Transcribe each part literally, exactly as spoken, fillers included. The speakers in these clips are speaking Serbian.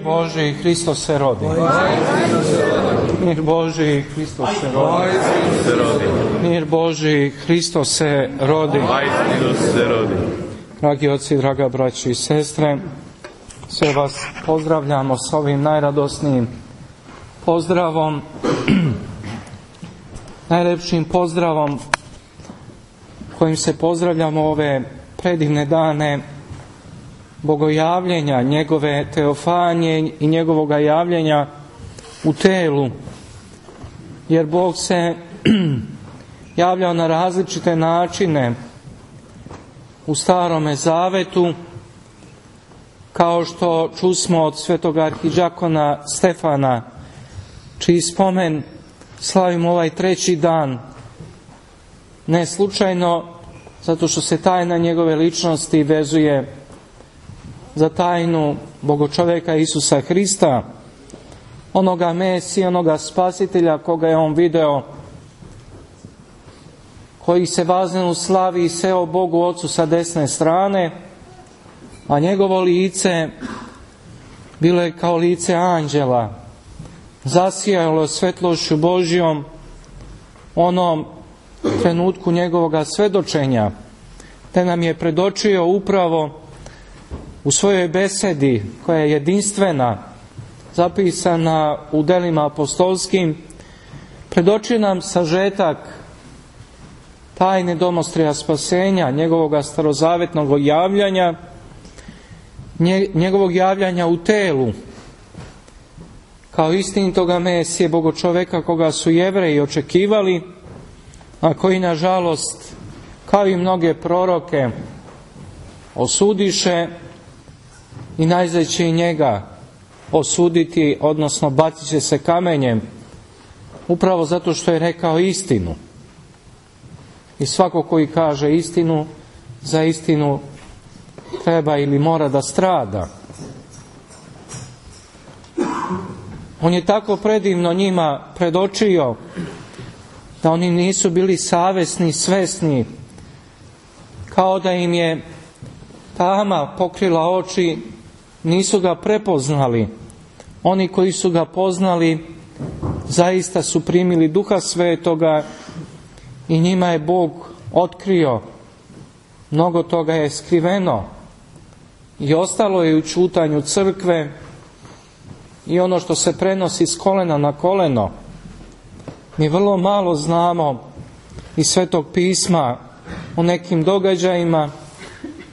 Boži, Hristos se rodi. Mir Boži, Hristos se rodi. Mir Boži, Hristos se rodi. Dragi oci, draga braći i sestre, sve vas pozdravljamo s ovim najradosnijim pozdravom, najlepšim pozdravom kojim se pozdravljamo ove predivne dane bogojavljenja, njegove teofanije i njegovog javljenja u telu. Jer Bog se javljao na različite načine u Starome Zavetu, kao što čusmo od svetog arhidžakona Stefana, čiji spomen slavimo ovaj treći dan, ne slučajno, zato što se tajna njegove ličnosti vezuje za tajnu Bogočoveka Isusa Hrista, onoga Mesija, onoga Spasitelja koga je on video, koji se baznenu slavi i seo Bogu Ocu sa desne strane, a njegovo lice bilo je kao lice anđela, zasijalo svetlošću Božjom onom trenutku njegovoga svedočenja, te nam je predočio upravo u svojoj besedi, koja je jedinstvena, zapisana u delima apostolskim, predočio nam sažetak tajne domostrija spasenja, njegovoga starozavetnog javljanja, njegovog javljanja u telu, kao istinitoga Mesije, Bogočoveka koga su Jevreji očekivali, a koji nažalost, kao i mnoge proroke, osudiše i najzad će i njega osuditi, odnosno bacit će se kamenjem, upravo zato što je rekao istinu. I svako koji kaže istinu, za istinu treba ili mora da strada. On je tako predivno njima predočio da oni nisu bili savesni, svesni, kao da im je tama pokrila oči, nisu ga prepoznali. Oni koji su ga poznali zaista su primili Duha Svetoga i njima je Bog otkrio. Mnogo toga je skriveno i ostalo je u ćutanju crkve i ono što se prenosi s kolena na koleno. Mi vrlo malo znamo iz Svetog pisma o nekim događajima,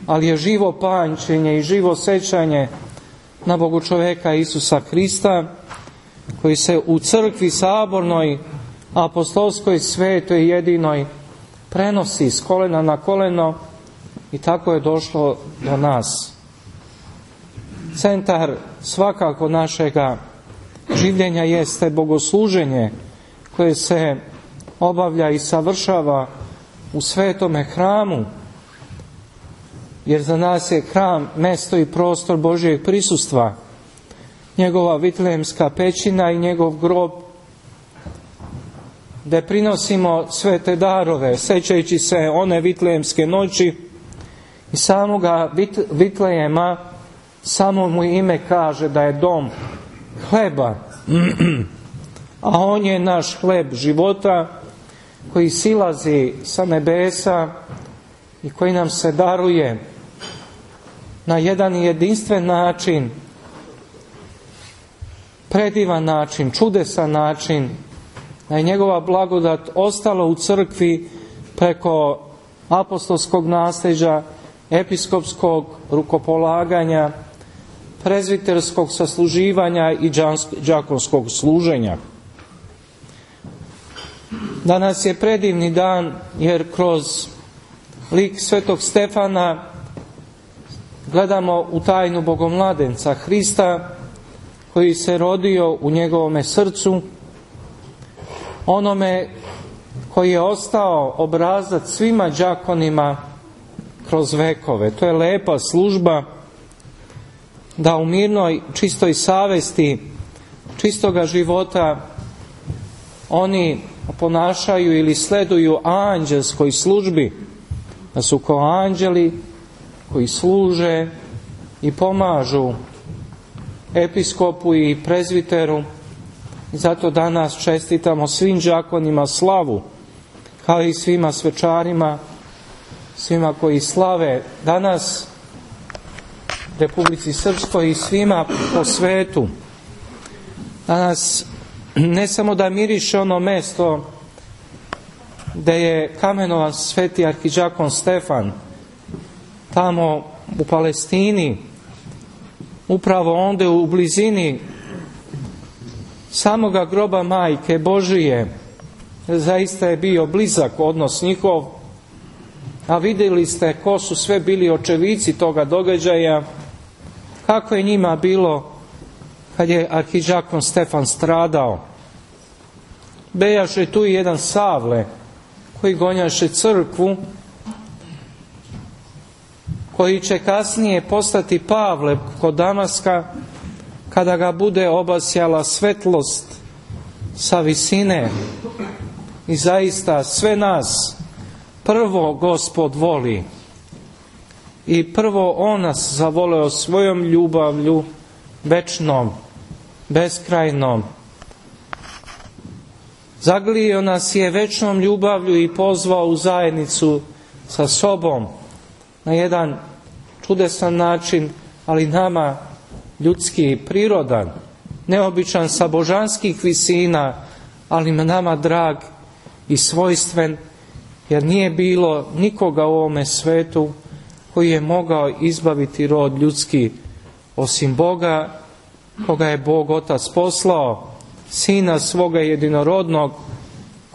ali je živo pamćenje i živo sećanje na Bogočoveka Isusa Hrista, koji se u crkvi sabornoj, apostolskoj, svetoj, jedinoj prenosi s kolena na koleno i tako je došlo do nas. Centar svakako našega življenja jeste bogosluženje koje se obavlja i savršava u svetome hramu, jer za nas je hram mesto i prostor Božjeg prisustva, njegova Vitlejemska pećina i njegov grob, gde prinosimo sve te darove, sećajući se one Vitlejemske noći i samoga Vitlejema. Samo mu ime kaže da je dom hleba, a on je naš hleb života koji silazi sa nebesa i koji nam se daruje na jedan jedinstven način, predivan način, čudesan način, da je njegova blagodat ostala u crkvi preko apostolskog nasljeđa, episkopskog rukopolaganja, prezviterskog sasluživanja i đakonskog služenja. Danas je predivni dan, jer kroz lik svetog Stefana gledamo u tajnu Bogomladenca Hrista, koji se rodio u njegovome srcu, onome koji je ostao obrazac svima đakonima kroz vekove. To je lepa služba da u mirnoj, čistoj savesti, čistoga života oni ponašaju ili sleduju anđelskoj službi, da su kao anđeli koji služe i pomažu episkopu i prezviteru. Zato danas čestitamo svim đakonima slavu, kao i svima svečarima, svima koji slave danas Republici Srpskoj i svima po svetu. Danas ne samo da miriše ono mesto gde je kamenovan sveti arhidžakon Stefan, tamo u Palestini, upravo onda u blizini samoga groba Majke Božije. Zaista je bio blizak odnos njihov, a vidjeli ste ko su sve bili očevici toga događaja, kako je njima bilo kad je arhidžakon Stefan stradao. Bejaše tu i jedan Savle koji gonjaše crkvu, koji će kasnije postati Pavle kod Damaska, kada ga bude obasjala svetlost sa visine. I zaista sve nas prvo Gospod voli i prvo On nas zavoleo svojom ljubavlju večnom, beskrajnom. Zaglio nas je večnom ljubavlju i pozvao u zajednicu sa sobom na jedan čudesan način, ali nama ljudski, prirodan, neobičan, sa božanskih visina, ali nama drag i svojstven, jer nije bilo nikoga u ovome svetu koji je mogao izbaviti rod ljudski osim Boga, koga je Bog Otac poslao, Sina svoga jedinorodnog,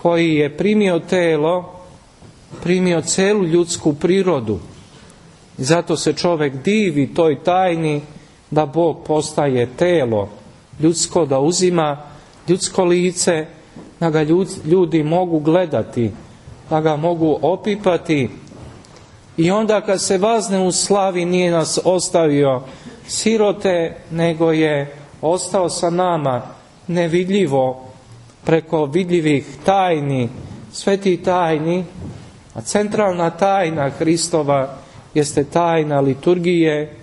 koji je primio telo, primio celu ljudsku prirodu. I zato se čovjek divi toj tajni da Bog postaje telo ljudsko, da uzima ljudsko lice, da ga ljudi mogu gledati, da ga mogu opipati. I onda kad se vazne u slavi, nije nas ostavio sirote, nego je ostao sa nama nevidljivo, preko vidljivih tajni, svetih tajni. A centralna tajna Hristova jeste tajna liturgije,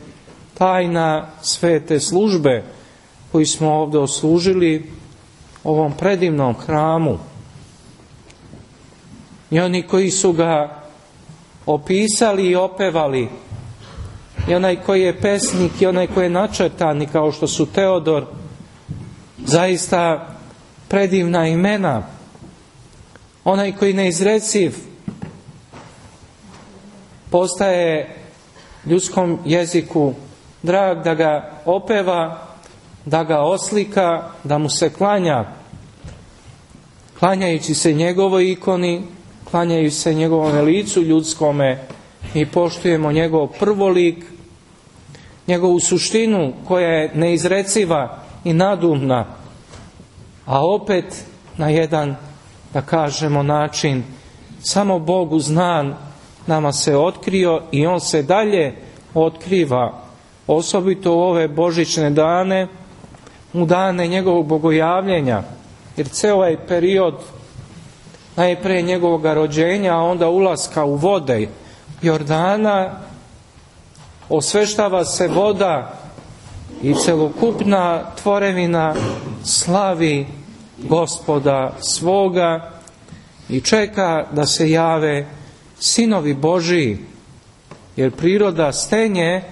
tajna svete službe koju smo ovdje oslužili ovom predivnom hramu. I oni koji su ga opisali i opevali, i onaj koji je pesnik, i onaj koji je načrtani, kao što su Teodor, zaista predivna imena. Onaj koji neizreciv postaje ljudskom jeziku drag, da ga opeva, da ga oslika, da mu se klanja. Klanjajući se njegovoj ikoni, klanjajući se njegovome licu ljudskome, i poštujemo njegov prvolik, njegovu suštinu koja je neizreciva i nadumna, a opet na jedan, da kažemo, način samo Bogu znan nama se otkrio, i On se dalje otkriva, osobito u ove božićne dane, u dane njegovog bogojavljenja, jer ceo ovaj period, najprije njegovog rođenja, a onda ulaska u vode Jordana, osveštava se voda i celokupna tvorevina slavi Gospoda svoga i čeka da se jave sinovi Božiji, jer priroda stenje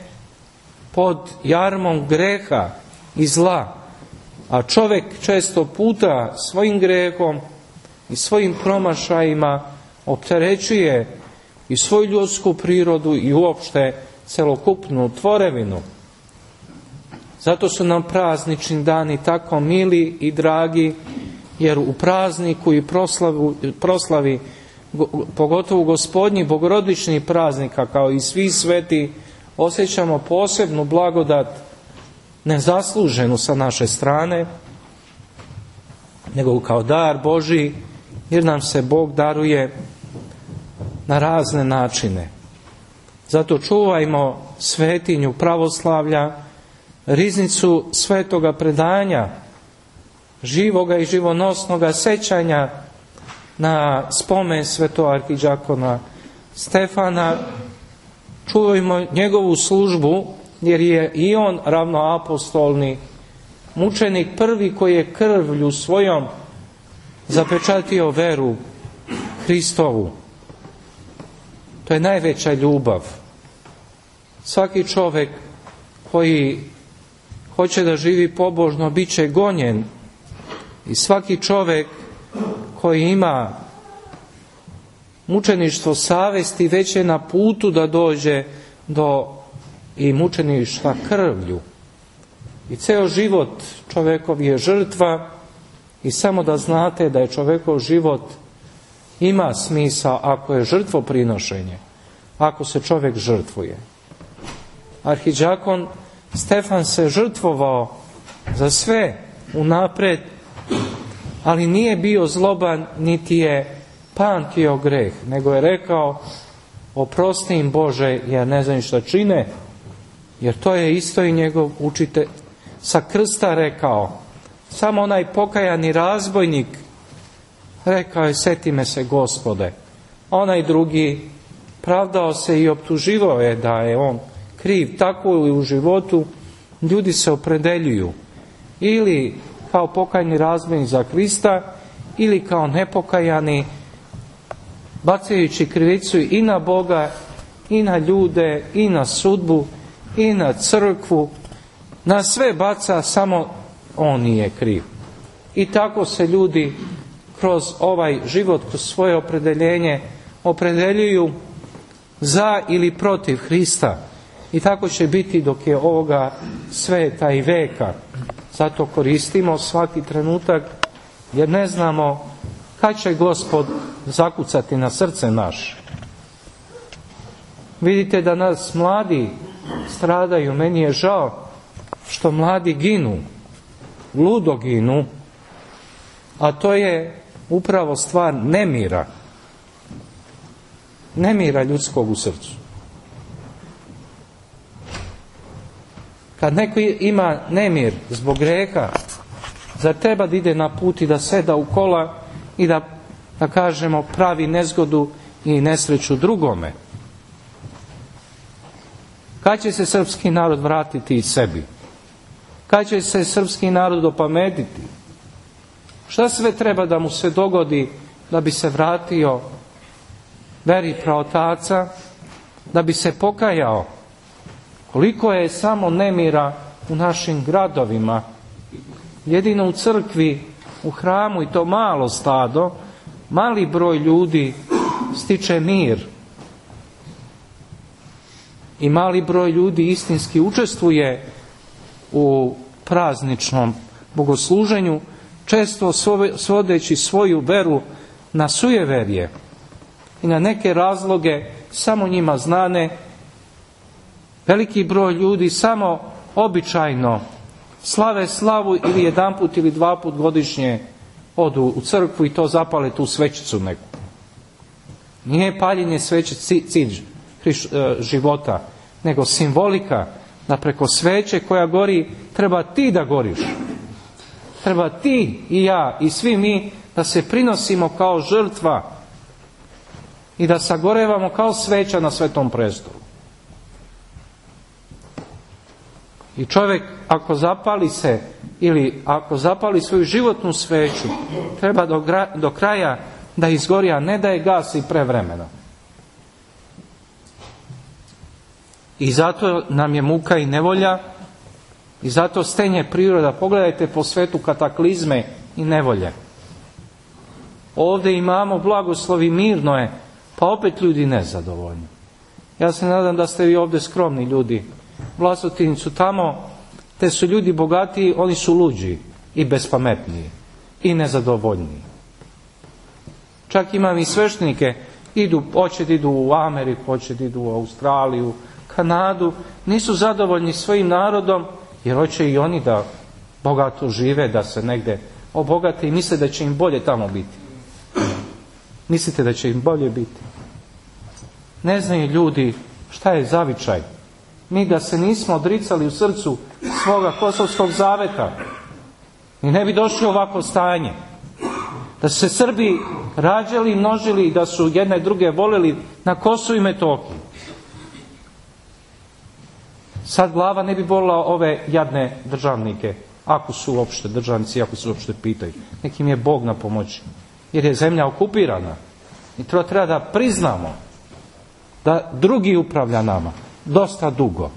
pod jarmom greha i zla, a čovjek često puta svojim grehom i svojim promašajima opterećuje i svoju ljudsku prirodu i uopšte celokupnu tvorevinu. Zato su nam praznični dani tako mili i dragi, jer u prazniku i proslavu, proslavi, pogotovo Gospodnji bogorodični praznika, kao i svi sveti, osjećamo posebnu blagodat, nezasluženu sa naše strane, nego kao dar Božji, jer nam se Bog daruje na razne načine. Zato čuvajmo svetinju pravoslavlja, riznicu svetoga predanja, živoga i živonosnoga sećanja na spomen svetog arhidžakona Stefana. Čuvajmo njegovu službu, jer je i on ravnoapostolni mučenik prvi koji je krvlju svojom zapečatio veru Hristovu. To je najveća ljubav. Svaki čovjek koji hoće da živi pobožno bit će gonjen, i svaki čovjek koji ima mučeništvo savesti već je na putu da dođe do i mučeništva krvlju. I ceo život čovjekov je žrtva, i samo da znate da je čovjekov život ima smisao ako je žrtvoprinošenje, ako se čovjek žrtvuje. Arhidžakon Stefan se žrtvovao za sve unapred, ali nije bio zloban niti je pamtio greh, nego je rekao: oprosti im Bože, jer ne znam šta čine. Jer to je isto i njegov učitelj sa krsta rekao. Samo onaj pokajani razbojnik rekao je: seti me se Gospode. Onaj drugi pravdao se i optuživao je da je on kriv. Tako i u životu ljudi se opredeljuju ili kao pokajni razbojnik za Krista, ili kao nepokajani, bacajući krivicu i na Boga, i na ljude, i na sudbu, i na crkvu. Na sve baca, samo on nije kriv. I tako se ljudi kroz ovaj život, kroz svoje opredeljenje opredeljuju za ili protiv Hrista. I tako će biti dok je ovoga sveta i veka. Zato koristimo svaki trenutak, jer ne znamo kad će Gospod zakucati na srce naše. Vidite da nas mladi stradaju. Meni je žao što mladi ginu, ludo ginu, a to je upravo stvar nemira. Nemira ljudskog u srcu. Kad neko ima nemir zbog greha, zar treba da ide na put i da seda u kola i da, da kažemo, pravi nezgodu i nesreću drugome? Kad će se srpski narod vratiti i sebi? Kad će se srpski narod opametiti? Šta sve treba da mu se dogodi da bi se vratio veri praotaca, da bi se pokajao? Koliko je samo nemira u našim gradovima. Jedino u crkvi, u hramu, i to malo stado, mali broj ljudi stiče mir. I mali broj ljudi istinski učestvuje u prazničnom bogosluženju, često svodeći svoju veru na sujeverje i na neke razloge samo njima znane. Veliki broj ljudi samo običajno slave slavu ili jedanput ili dva put godišnje odu u crkvu i to zapale tu svećicu neku. Nije paljenje sveće cilj života, nego simbolika da preko sveće koja gori treba ti da goriš. Treba ti i ja i svi mi da se prinosimo kao žrtva i da sagorevamo kao sveća na Svetom prestolu. I čovjek ako zapali se ili ako zapali svoju životnu sveću, treba do, gra, do kraja da izgori, a ne da je gasi prevremeno. I zato nam je muka i nevolja, i zato stenje priroda. Pogledajte po svetu kataklizme i nevolje. Ovdje imamo blagoslovi, mirno je, pa opet ljudi nezadovoljni. Ja se nadam da ste vi ovdje skromni ljudi. Vlasotincu tamo, te su ljudi bogatiji, oni su luđi i bespametniji i nezadovoljniji. Čak imam i sveštenike, idu, hoće da idu u Ameriku, hoće da idu u Australiju, Kanadu, nisu zadovoljni svojim narodom, jer hoće i oni da bogato žive, da se negde obogate i misle da će im bolje tamo biti. Mislite da će im bolje biti? Ne znaju ljudi šta je zavičaj. Mi da se nismo odricali u srcu svoga kosovskog zaveta, i ne bi došli ovako stanje. Da su se Srbi rađali i množili i da su jedne druge voleli na Kosovu i Metohiji. Sad glava ne bi bolila ove jadne državnike ako su uopšte državnici, ako se uopšte pitaju. Nekim je Bog na pomoći. Jer je zemlja okupirana. I to treba da priznamo da drugi upravlja nama dosta dugo.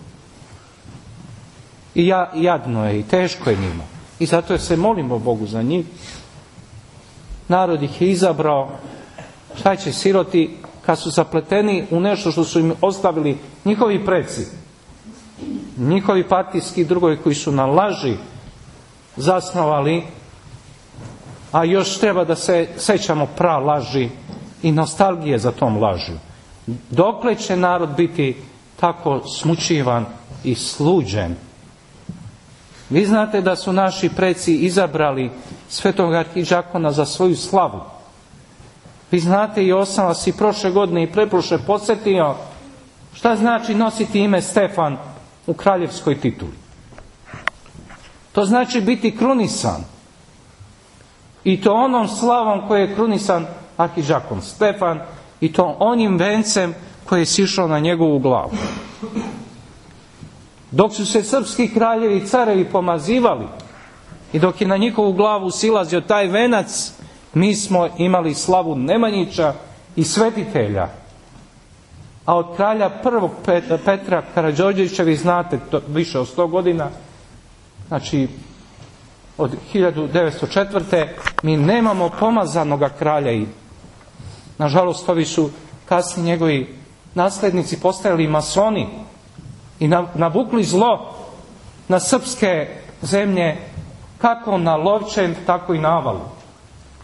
I ja, jadno je i teško je njima. I zato se molimo Bogu za njih. Narod ih je izabrao. Šta će siroti kad su zapleteni u nešto što su im ostavili njihovi preci, njihovi partijski drugovi koji su na laži zasnovali, a još treba da se sećamo pra laži i nostalgije za tom lažu. Dokle će narod biti tako smučivan i sluđen? Vi znate da su naši preci izabrali svetog arhidžakona za svoju slavu. Vi znate, i osam vas i prošle godine i preprošle podsjetio šta znači nositi ime Stefan u kraljevskoj tituli. To znači biti krunisan. I to onom slavom koje je krunisan arhidžakon Stefan, i to onim vencem koji je sišao na njegovu glavu. Dok su se srpski kraljevi i carevi pomazivali i dok je na njihovu glavu silazio taj venac, mi smo imali slavu Nemanjića i svetitelja. A od kralja prvog Petra Karađorđevića, vi znate, to više od sto godina, znači od hiljadu devetsto četvrte mi nemamo pomazanoga kralja. I nažalost ovi su kasnije njegovi naslednici postajali masoni i navukli zlo na srpske zemlje, kako na Lovćen, tako i na Avalu.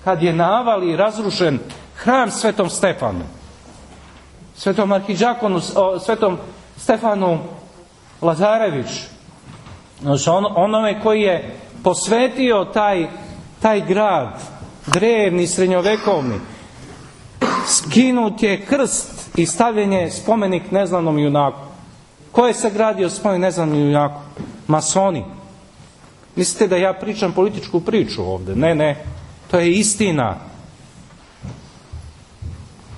Kad je na Avali razrušen hram Svetom Stefanu, Svetom arhidžakonu, Svetom Stefanu Lazarević, on, onome koji je posvetio taj, taj grad, drevni, srednjovekovni, skinut je krst i stavljen je spomenik neznanom junaku. Ko je sagradio spomenik neznanom junaku? Masoni. Mislite da ja pričam političku priču ovdje? Ne, ne. To je istina.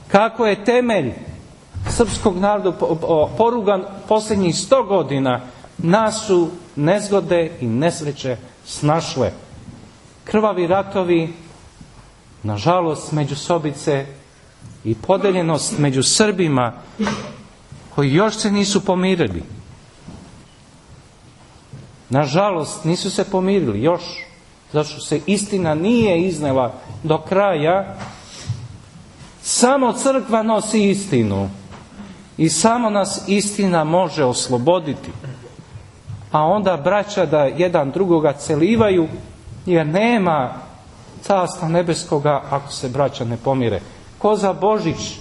Kako je temelj srpskog naroda porugan posljednjih sto godina, nas su nezgode i nesreće snašle. Krvavi ratovi, nažalost međusobice i podeljenost među Srbima koji još se nisu pomirili. Nažalost nisu se pomirili još, zato što se istina nije iznela do kraja. Samo crkva nosi istinu i samo nas istina može osloboditi. A onda braća da jedan drugoga celivaju, jer nema carstva nebeskoga ako se braća ne pomire. Ko za Božić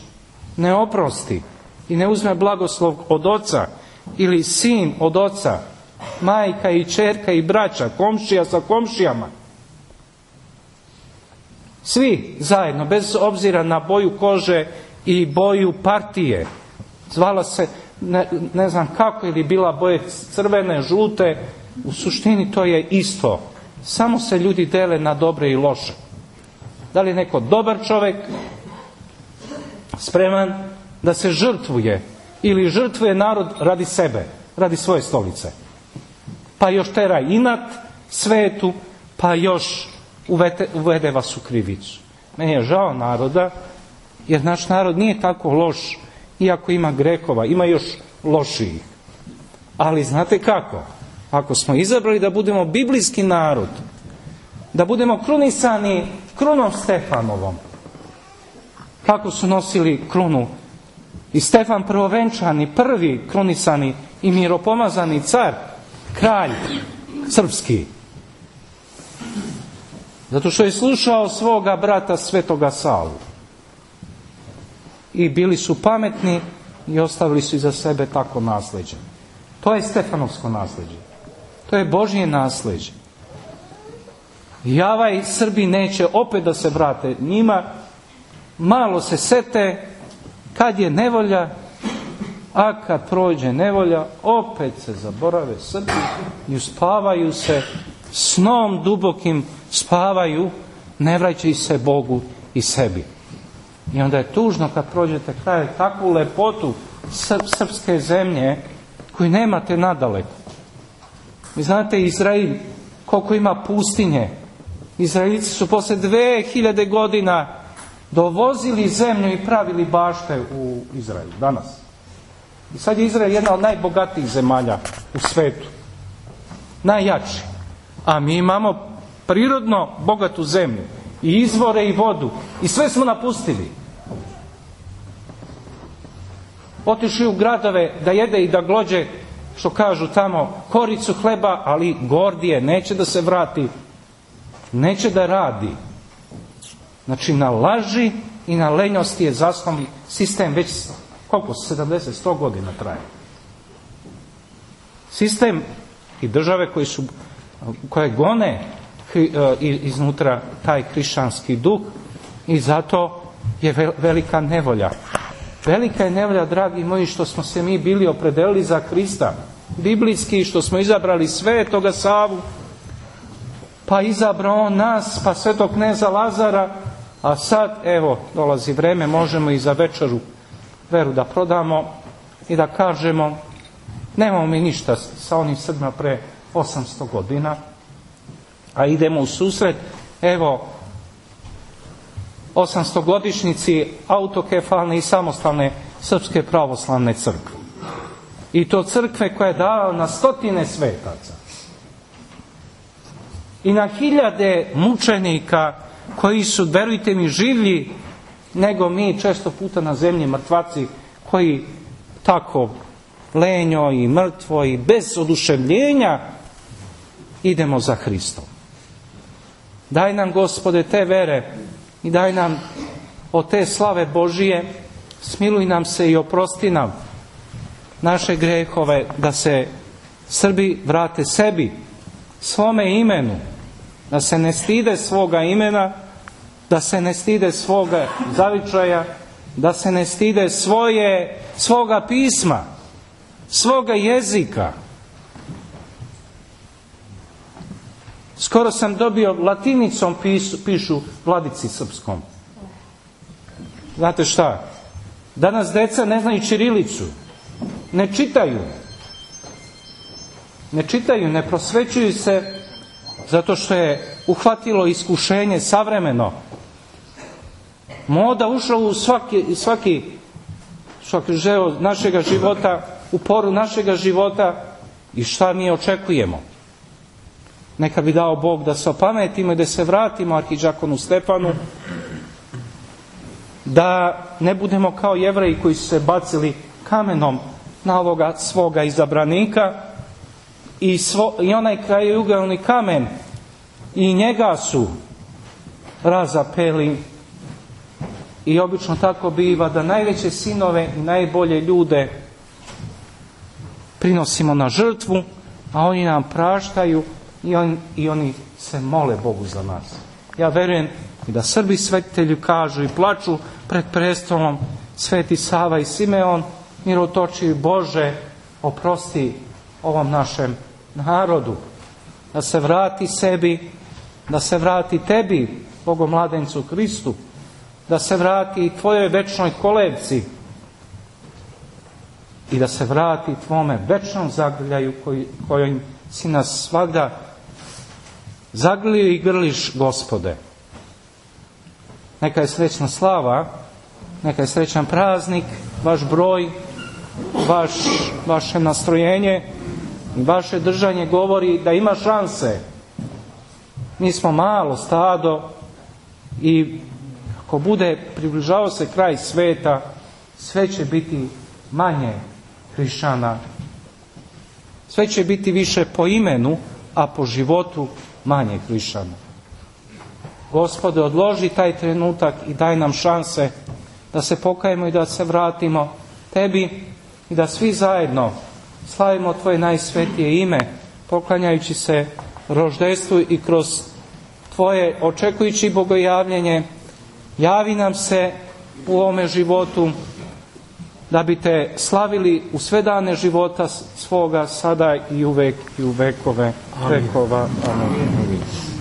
ne oprosti i ne uzme blagoslov od oca, ili sin od oca, majka i ćerka i braća, komšija sa komšijama, svi zajedno, bez obzira na boju kože i boju partije, zvala se ne, ne znam kako, ili bila boje crvene, žute, u suštini to je isto. Samo se ljudi dele na dobre i loše. Da li je neko dobar čovjek spreman da se žrtvuje, ili žrtvuje narod radi sebe, radi svoje stolice, pa još tera inat svetu, pa još uvede, uvede vas u krivicu. Meni je žao naroda, jer naš narod nije tako loš, iako ima grehova, ima još lošijih. Ali znate kako? Ako smo izabrali da budemo biblijski narod, da budemo krunisani krunom Stefanovom, kako su nosili krunu i Stefan prvovenčani, prvi krunisani i miropomazani car, kralj srpski, zato što je slušao svoga brata svetoga Savu. I bili su pametni i ostavili su iza sebe tako nasljeđe. To je Stefanovsko nasljeđe. To je Božje nasljeđe. I ovaj Srbi neće opet da se vrate njima, malo se sete kad je nevolja, a kad prođe nevolja opet se zaborave Srbi i uspavaju se snom dubokim, spavaju, ne vraćaju se Bogu i sebi. I onda je tužno kad prođete kraj takvu lepotu srpske zemlje koju nemate nadaleko. Vi znate, Izrael koliko ima pustinje. Izraelici su posle dve hiljade godina dovozili zemlju i pravili bašte u Izraelu danas. I sad je Izrael jedna od najbogatijih zemalja u svetu. Najjači. A mi imamo prirodno bogatu zemlju. I izvore i vodu. I sve smo napustili. Otišli u gradove da jede i da glođe, što kažu tamo, koricu hleba, ali gordije, neće da se vrati. Neće da radi. Znači na laži i na lenjosti je zasnovan sistem već koliko? sedamdeset sto godina traje. Sistem i države koji su, koje gone iznutra taj hrišćanski duh i zato je velika nevolja. Velika je nevolja, dragi moji, što smo se mi bili opredelili za Krista. Biblijski, što smo izabrali Svetoga Savu, pa izabrao on nas, pa svetog kneza Lazara, a sad, evo, dolazi vreme, možemo i za večeru veru da prodamo i da kažemo, nemamo mi ništa sa onim Srbima pre osamsto godina, a idemo u susret, evo, osamstogodišnjici autokefalne i samostalne Srpske pravoslavne crkve. I to crkve koja je dala na stotine svetaca. I na hiljade mučenika koji su, verujte mi, življi nego mi često puta na zemlji mrtvaci koji tako lenjo i mrtvo i bez oduševljenja idemo za Hristom. Daj nam, Gospode, te vere i daj nam od te slave Božije, smiluj nam se i oprosti nam naše grehove, da se Srbi vrate sebi, svome imenu, da se ne stide svoga imena, da se ne stide svoga zavičaja, da se ne stide svoje, svoga pisma, svoga jezika. Skoro sam dobio, latinicom pisu, pišu Vladici Srpskom. Znate šta? Danas deca ne znaju ćirilicu. Ne čitaju. Ne čitaju, ne prosvećuju se zato što je uhvatilo iskušenje savremeno. Moda ušla u svaki, svaki, svaki žeo našega života, u poru našega života i šta mi očekujemo. Neka bi dao Bog da se opametimo i da se vratimo arhidžakonu Stefanu, da ne budemo kao Jevreji koji su se bacili kamenom na ovoga svoga izabranika i, svo, i onaj krajojugalni kamen i njega su razapeli. I obično tako biva da najveće sinove i najbolje ljude prinosimo na žrtvu, a oni nam praštaju i, on, i oni se mole Bogu za nas. Ja verujem i da Srbi svetitelji kažu i plaču pred prestolom, Sveti Sava i Simeon, mirotočivi Bože, oprosti ovom našem narodu, da se vrati sebi, da se vrati tebi, Bogomladencu Hristu, da se vrati tvojoj večnoj kolevci i da se vrati tvome večnom zagrljaju koji, kojim si nas svagda zagrlio i grliš, Gospode. Neka je srećna slava, neka je srećan praznik, vaš broj, vaš, vaše nastrojenje i vaše držanje govori da ima šanse. Mi smo malo stado i ako bude približavao se kraj sveta, sve će biti manje hrišćana. Sve će biti više po imenu, a po životu manje hrišćana. Gospode, odloži taj trenutak i daj nam šanse da se pokajemo i da se vratimo tebi i da svi zajedno slavimo tvoje najsvetije ime, poklanjajući se roždestvu i kroz tvoje očekujući bogojavljenje. Javi nam se u ovome životu da bi te slavili u sve dane života svoga, sada i uvek i u vekove vekova. Amen.